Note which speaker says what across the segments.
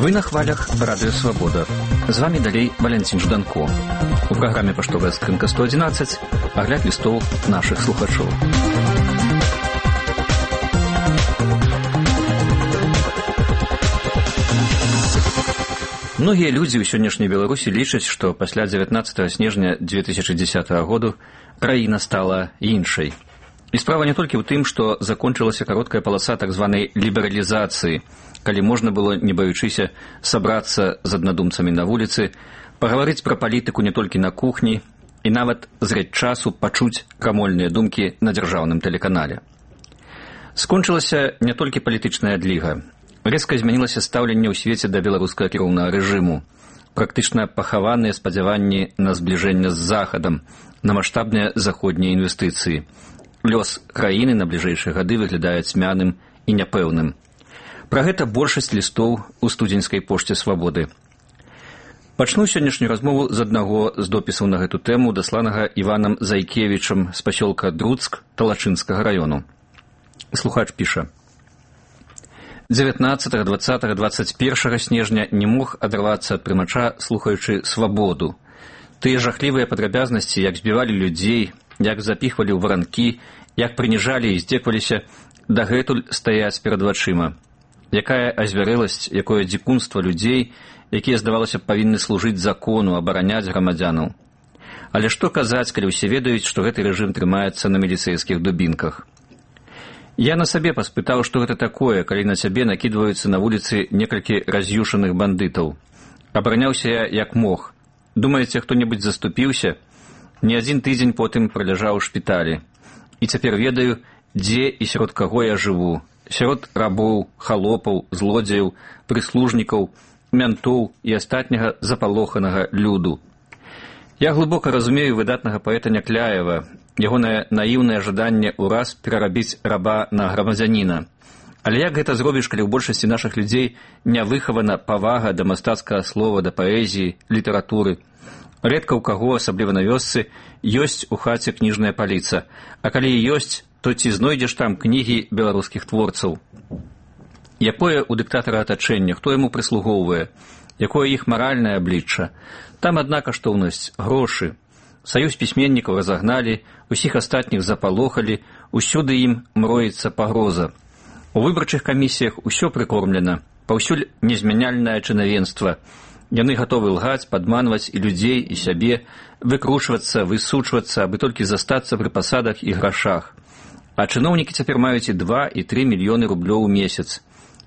Speaker 1: Вы на хвалях Радыё Свабода. З вами далей Валянцін Жданко. У праграме «Паштовая скрынка 111» агляд лістоў нашых слухачоў. Многія людзі ў сённяшняй Беларусі лічаць, што пасля 19 снежня 2010 году краіна стала іншай. І справа не толькі ў тым, што закончылася кароткая паласа так званай лібералізацыі, калі можна было, не баючыся, сабрацца з аднадумцамі на вуліцы, пагаварыць пра палітыку не толькі на кухні і нават зрэць часу пачуць крамольныя думкі на дзяржаўным тэлеканале. Скончылася не толькі палітычная адліга. Рэзка змянілася стаўленне ў свеце да беларускага кіроўнага рэжыму. Практычна пахаваныя спадзяванні на збліжэнне з Захадам, на маштабныя заходнія інвестыцыі. Лёс краіны на бліжэйшыя гады выглядае цьмяным і няпэўным. Пра гэта большасць лістоў у студзеньскай пошце Свабоды. Пачну сённяшнюю размову з аднаго з допісаў на гэту тэму, дасланага Іванам Зайкевічам з пасёлка Друцк Талачынскага раёну. Слухач піша: 19, 20, 21 снежня не мог адрвацца ад прымача, слухаючы Свабоду. Тыя жахлівыя падрабязнасці, як збівалі людзей, як запіхвалі ў варанкі, як прыніжалі і здзекваліся, дагэтуль стаяць перад вачыма. Якая азвярэласць, якое дзікунства людзей, якія, здавалася, павінны служыць закону, абараняць грамадзянаў. Але што казаць, калі ўсе ведаюць, што гэты рэжым трымаецца на міліцэйскіх дубінках? Я на сабе паспытаў, што гэта такое, калі на цябе накідваюцца на вуліцы некалькі раз'юшаных бандытаў. Абараняўся я як мог. Думаеце, хто-небудзь заступіўся? Не адзін тыдзень потым праляжаў у шпіталі. І цяпер ведаю, дзе і сярод каго я жыву. Сярод рабоў, халопаў, злодзеяў, прыслужнікаў, мянтоў і астатняга запалоханага люду. Я глыбока разумею выдатнага паэта Някляева, ягонае наіўнае жаданне ўраз перарабіць раба на грамадзяніна. Але як гэта зробіш, калі ў большасці нашых людзей не выхавана павага да мастацкага слова, да паэзіі, літаратуры? Рэдка ў каго, асабліва на вёсцы, ёсць у хаце кніжная паліца, а калі і ёсць, то ці знойдзеш там кнігі беларускіх творцаў? Якое ў дыктатара атачэнне, хто яму прыслугоўвае, якое іх маральнае аблічча? Там адна каштоўнасць – грошы. Саюз пісьменнікаў разагналі, усіх астатніх запалохалі, усюды ім мроіцца пагроза. У выбарчых камісіях усё прыкормлена, паўсюль незмяняльнае чынавенства. Яны гатовы лгаць, падманваць і людзей, і сябе, выкручвацца, высучвацца, абы толькі застацца пры пасадах і грашах. А чыноўнікі цяпер маюць і 2, і 3 мільёны рублёў у месяц.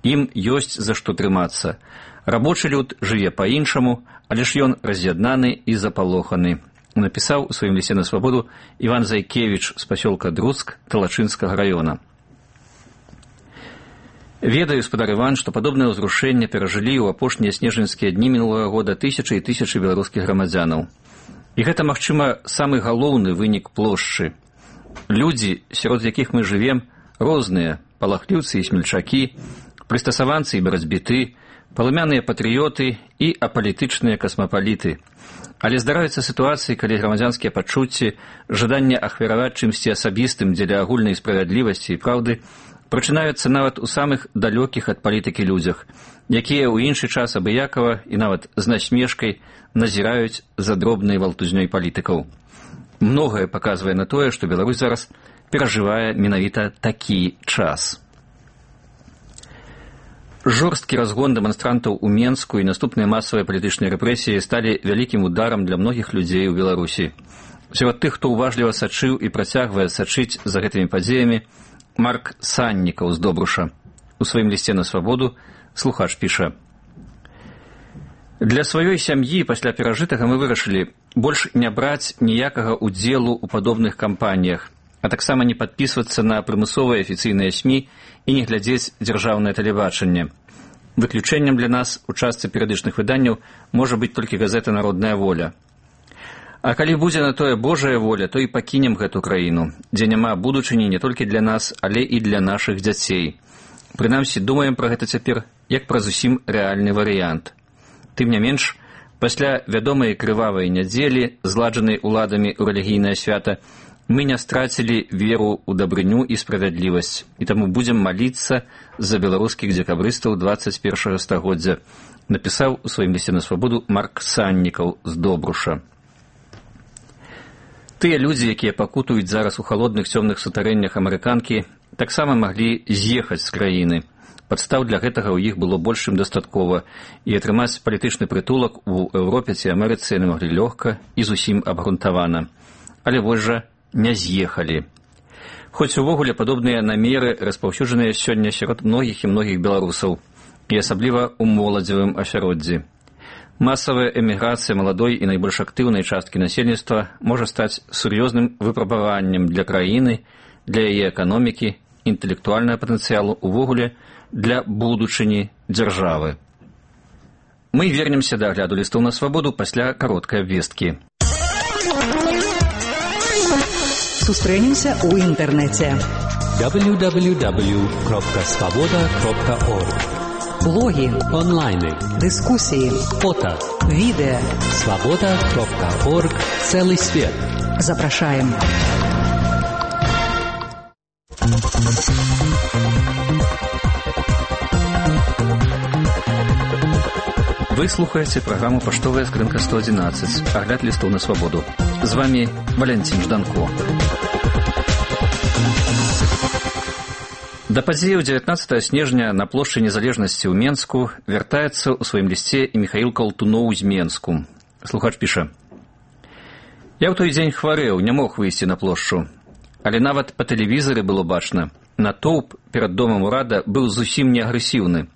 Speaker 1: Ім ёсць за што трымацца. Рабочы люд жыве па-іншаму, але ж ён раз'яднаны і запалоханы. Напісаў у сваім лісце на Свабоду Іван Зайкевіч з пасёлка Друцк Талачынскага раёна. Ведаю, спадар Іван, што падобнае ўзрушэнне перажылі ў апошнія снежаньскія дні мінулага года тысячы і тысячы беларускіх грамадзянаў. І гэта, магчыма, самы галоўны вынік плошчы. Людзі, сярод якіх мы жывем, розныя, палахліўцы і смельчакі, прыстасаванцы і барацьбіты, палымяныя патрыёты і апалітычныя касмапаліты. Але здараюцца сітуацыі, калі грамадзянскія пачуцці, жаданне ахвяраваць чымсьці асабістым дзеля агульнай справядлівасці і праўды прачынаюцца нават у самых далёкіх ад палітыкі людзях, якія ў іншы час абыякава і нават з насмешкай назіраюць за дробнай валтузнёй палітыкаў. Многае паказвае на тое, што Беларусь зараз перажывае менавіта такі час. Жорсткі разгон дэманстрантаў у Менску і наступныя масавыя палітычныя рэпрэсіі сталі вялікім ударам для многіх людзей у Беларусі. Сярод тых, хто уважліва сачыў і працягвае сачыць за гэтымі падзеямі, Марк Саннікаў з Добруша. У сваім лісце на Свабоду слухач піша: «Для сваёй сям'і пасля перажытага мы вырашылі больш не браць ніякага ўдзелу ў падобных кампаніях, а таксама не падпісвацца на прымусовыя афіцыйныя СМІ і не глядзець дзяржаўнае тэлебачанне. Выключэннем для нас у частцы перыядычных выданняў можа быць толькі газета «Народная воля». А калі будзе на тое Божая воля, то і пакінем гэту краіну, дзе няма будучыні не толькі для нас, але і для нашых дзяцей. Прынамсі, думаем пра гэта цяпер як пра зусім рэальны варыянт. Тым не менш, пасля вядомай крывавай нядзелі, зладжанай уладамі ў рэлігійнае свята, Мы не страцілі веру ў дабрыню і справядлівасць, і таму будзем маліцца за беларускіх дзекабрыстаў 21 стагоддзя, напісаў у сваім лісце на свабоду Марк Саннікаў з Добруша. Тыя людзі, якія пакутуюць зараз у халодных цёмных сутарэннях амерыканкі, таксама маглі з'ехаць з краіны. Падстаў для гэтага ў іх было больш чым дастаткова, і атрымаць палітычны прытулак у Еўропе ці Амерыцы яны маглі лёгка і зусім абгрунтавана. Але вось жа не з'ехалі. Хоць увогуле падобныя намеры распаўсюджаныя сёння сярод многіх і многіх беларусаў, і асабліва ў моладзевым асяроддзі. Масавая эміграцыя маладой і найбольш актыўнай часткі насельніцтва можа стаць сур'ёзным выпрабаваннем для краіны, для яе эканомікі, інтэлектуальнага патэнцыялу, увогуле для будучыні дзяржавы. Мы вернемся да агляду лістоў на свабоду пасля кароткай абвесткі.
Speaker 2: Сустрэнемся ў інтэрнэце. www.svoboda.org. Блогі, онлайны, дыскусіі, фото, відэа. Svoboda.org. Цэлы свет. Запрашаем.
Speaker 1: Вы слухаеце праграму «Паштовая скрынка 111», агляд лістоў на свабоду. З вами Валянцін Жданко. Да падзеяў 19 снежня на плошчы Незалежнасці ў Менску вяртаецца ў сваім лісце і Міхаіл Калтуноў з Менску. Слухач піша: «Я ў той дзень хварэў, не мог выйсці на плошчу. Але нават па тэлевізары было бачна. Натоўп перад домам урада быў зусім не агрэсіўны.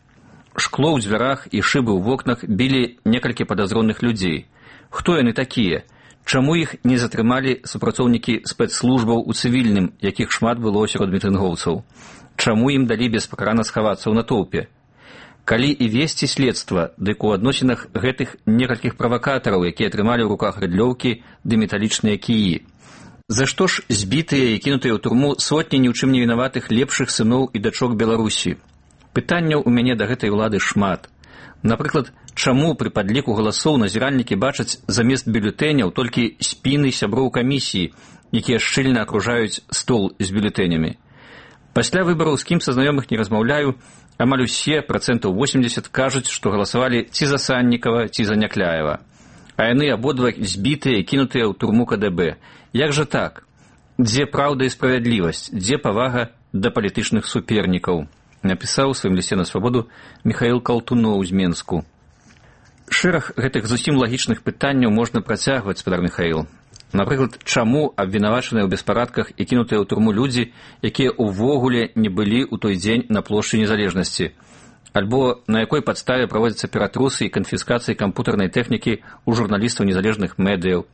Speaker 1: Шкло ў дзвярах і шыбы ў вокнах білі некалькі падазроных людзей. Хто яны такія? Чаму іх не затрымалі супрацоўнікі спецслужбаў у цывільным, якіх шмат было сярод мітынгоўцаў? Чаму ім далі беспакарана схавацца ў натоўпе? Калі і весці следства, дык у адносінах гэтых некалькіх правакатараў, якія трымалі ў руках рыдлёўкі ды металічныя кіі? За што ж збітыя і кінутыя ў турму сотні ні ў чым не вінаватых лепшых сыноў і дачок Беларусі? Пытанняў у мяне да гэтай улады шмат. Напрыклад, чаму пры падліку галасоў назіральнікі бачаць замест бюлетэняў толькі спіны сяброў камісіі, якія шчыльна акружаюць стол з бюлетэнямі? Пасля выбараў, з кім са знаёмых не размаўляю, амаль усе, 80%, кажуць, што галасавалі ці за Саннікава, ці за Някляева. А яны абодва збітыя і кінутыя ў турму КДБ. Як жа так? Дзе праўда і справядлівасць? Дзе павага да палітычных супернікаў? Напісаў у сваім лісце на свабоду Міхаіл Калтуноў з Менску. Шэраг гэтых зусім лагічных пытанняў можна працягваць, спадар Міхаіл. Напрыклад, чаму абвінавачаныя ў беспарадках і кінутыя ў турму людзі, якія ўвогуле не былі ў той дзень на плошчы Незалежнасці? Альбо на якой падставе праводзяцца ператрусы і канфіскацыі кампутарнай тэхнікі ў журналістаў незалежных медыяў?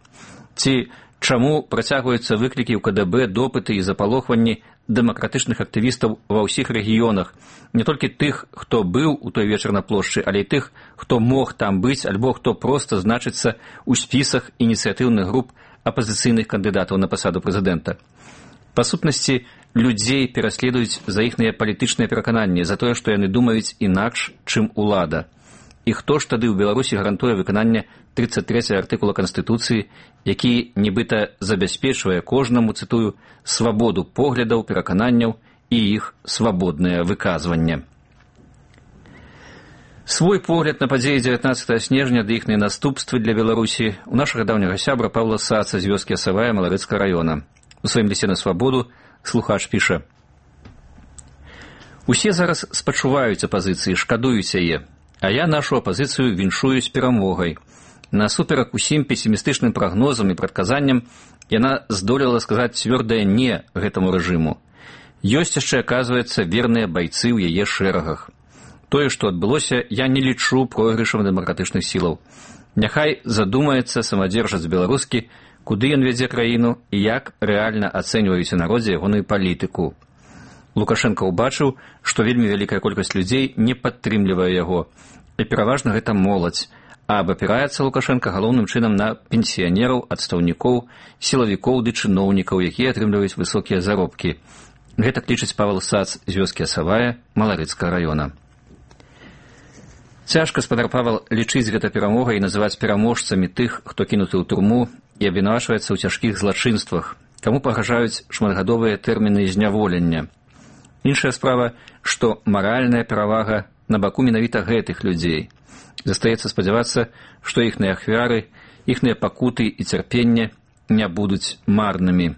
Speaker 1: Ці чаму працягваюцца выклікі ў КДБ, допыты і запалохванні дэмакратычных актывістаў ва ўсіх рэгіёнах, не толькі тых, хто быў у той вечар на плошчы, але і тых, хто мог там быць, альбо хто проста значыцца ў спісах ініцыятыўных груп апазіцыйных кандыдатаў на пасаду прэзідэнта. Па сутнасці, людзей пераследуюць за іхныя палітычныя перакананні, за тое, што яны думаюць інакш, чым улада. І хто ж тады ў Беларусі гарантуе выкананне 33 артыкула Канстытуцыі, які нібыта забяспечвае кожнаму, цытую, свабоду поглядаў, перакананняў і іх свабоднае выказванне. Свой погляд на падзеі 19 снежня ды іхныя наступствы для Беларусі у нашага даўняга сябра Павла Саца з вёскі Асавая Маларыцкага раёна. У сваім лісце на свабоду слухач піша: «Усе зараз спачуваюць апазіцыі, шкадуюць яе, а я нашу апазіцыю віншую з перамогай. Насуперак усім песімістычным прагнозам і прадказанням яна здолела сказаць цвёрдае «не» гэтаму рэжыму. Ёсць яшчэ, аказваецца, верныя байцы ў яе шэрагах. Тое, што адбылося, я не лічу пройгрышам дэмакратычных сілаў. Няхай задумаецца самадзержац беларускі, куды ён вядзе краіну і як рэальна ацэньваюць у народзе ягоную палітыку. Лукашенко ўбачыў, што вельмі вялікая колькасць людзей не падтрымлівае яго, і пераважна гэта моладзь, а абапіраецца Лукашенко галоўным чынам на пенсіянераў, адстаўнікоў, сілавікоў ды чыноўнікаў, якія атрымліваюць высокія заробкі. Гэта лічыць Павел Сац з вёскі Асавая Маларыцкага раёна. Цяжка, спадар Павел, лічыць гэта перамогай і называць пераможцамі тых, хто кінуты ў турму і абвінавачваецца ў цяжкіх злачынствах, каму пагражаюць шматгадовыя тэрміны зняволення. Іншая справа, што маральная перавага на баку менавіта гэтых людзей. Застаецца спадзявацца, што іхныя ахвяры, іхныя пакуты і цярпенне не будуць марнымі.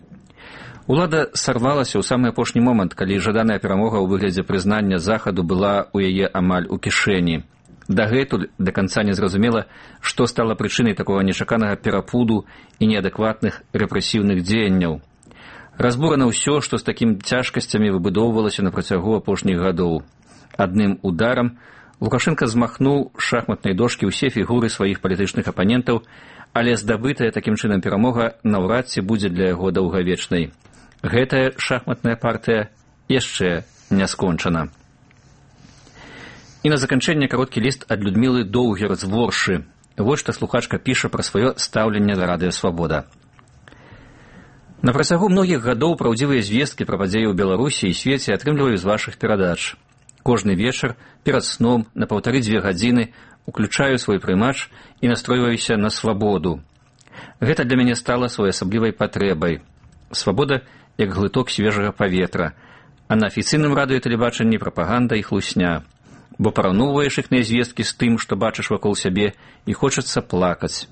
Speaker 1: Улада сарвалася ў самы апошні момант, калі жаданая перамога ў выглядзе прызнання Захаду была ў яе амаль у кішэні. Дагэтуль да канца не зразумела, што стала прычынай такога нечаканага перапуду і неадэкватных рэпрэсіўных дзеянняў. Разбурана ўсё, што з такім цяжкасцямі выбудоўвалася на працягу апошніх гадоў. Адным ударам Лукашенка змахнуў з шахматнай дошкі ўсе фігуры сваіх палітычных апанентаў, але здабытая такім чынам перамога наўрад ці будзе для яго даўгавечнай. Гэтая шахматная партыя яшчэ не скончана. І на заканчэнне кароткі ліст ад Людмілы Доўгер з Воршы. Вось што слухачка піша пра сваё стаўленне да Радыё Свабода. На працягу многіх гадоў праўдзівыя звесткі пра падзеі ў Беларусі і свеце атрымліваю з вашых перадач. Кожны вечар перад сном на 1,5–2 гадзіны уключаю свой прымач і настройваюся на свабоду. Гэта для мяне стала своеасаблівай патрэбай. Свабода як глыток свежага паветра, а на афіцыйным радыё і тэлебачанні прапаганда і хлусня. Бо параўноўваеш іхныя звесткі з тым, што бачыш вакол сябе, і хочацца плакаць.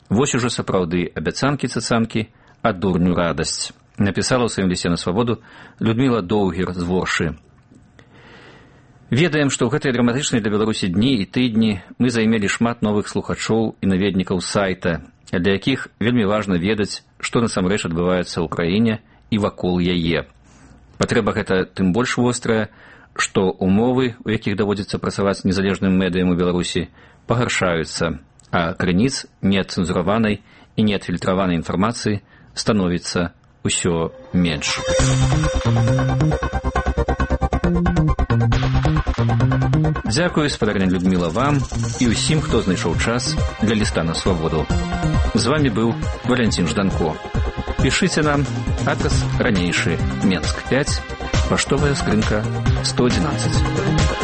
Speaker 1: Вось ужо сапраўды абяцанкі-цацанкі, а дурню радасць. Напісала ў сваім лісце на свабоду Людміла Доўгер з Воршы. Ведаем, што ў гэтыя драматычныя для Беларусі дні і тыдні мы займелі шмат новых слухачоў і наведнікаў сайта, для якіх вельмі важна ведаць, што насамрэч адбываецца ў краіне і вакол яе. Патрэба гэта тым больш вострая, што умовы, у якіх даводзіцца працаваць незалежным медыям у Беларусі, пагаршаюцца, а крыніц неадцэнзураванай і неадфільтраванай інфармацыі становіцца ўсё менш. Дзякую, спадарня Людміла, вам і ўсім, хто знайшоў час для ліста на свабоду. З вами быў Валянцін Жданко. Пішыце нам, адрес ранейшы, Менск 5, паштовая скрынка 111.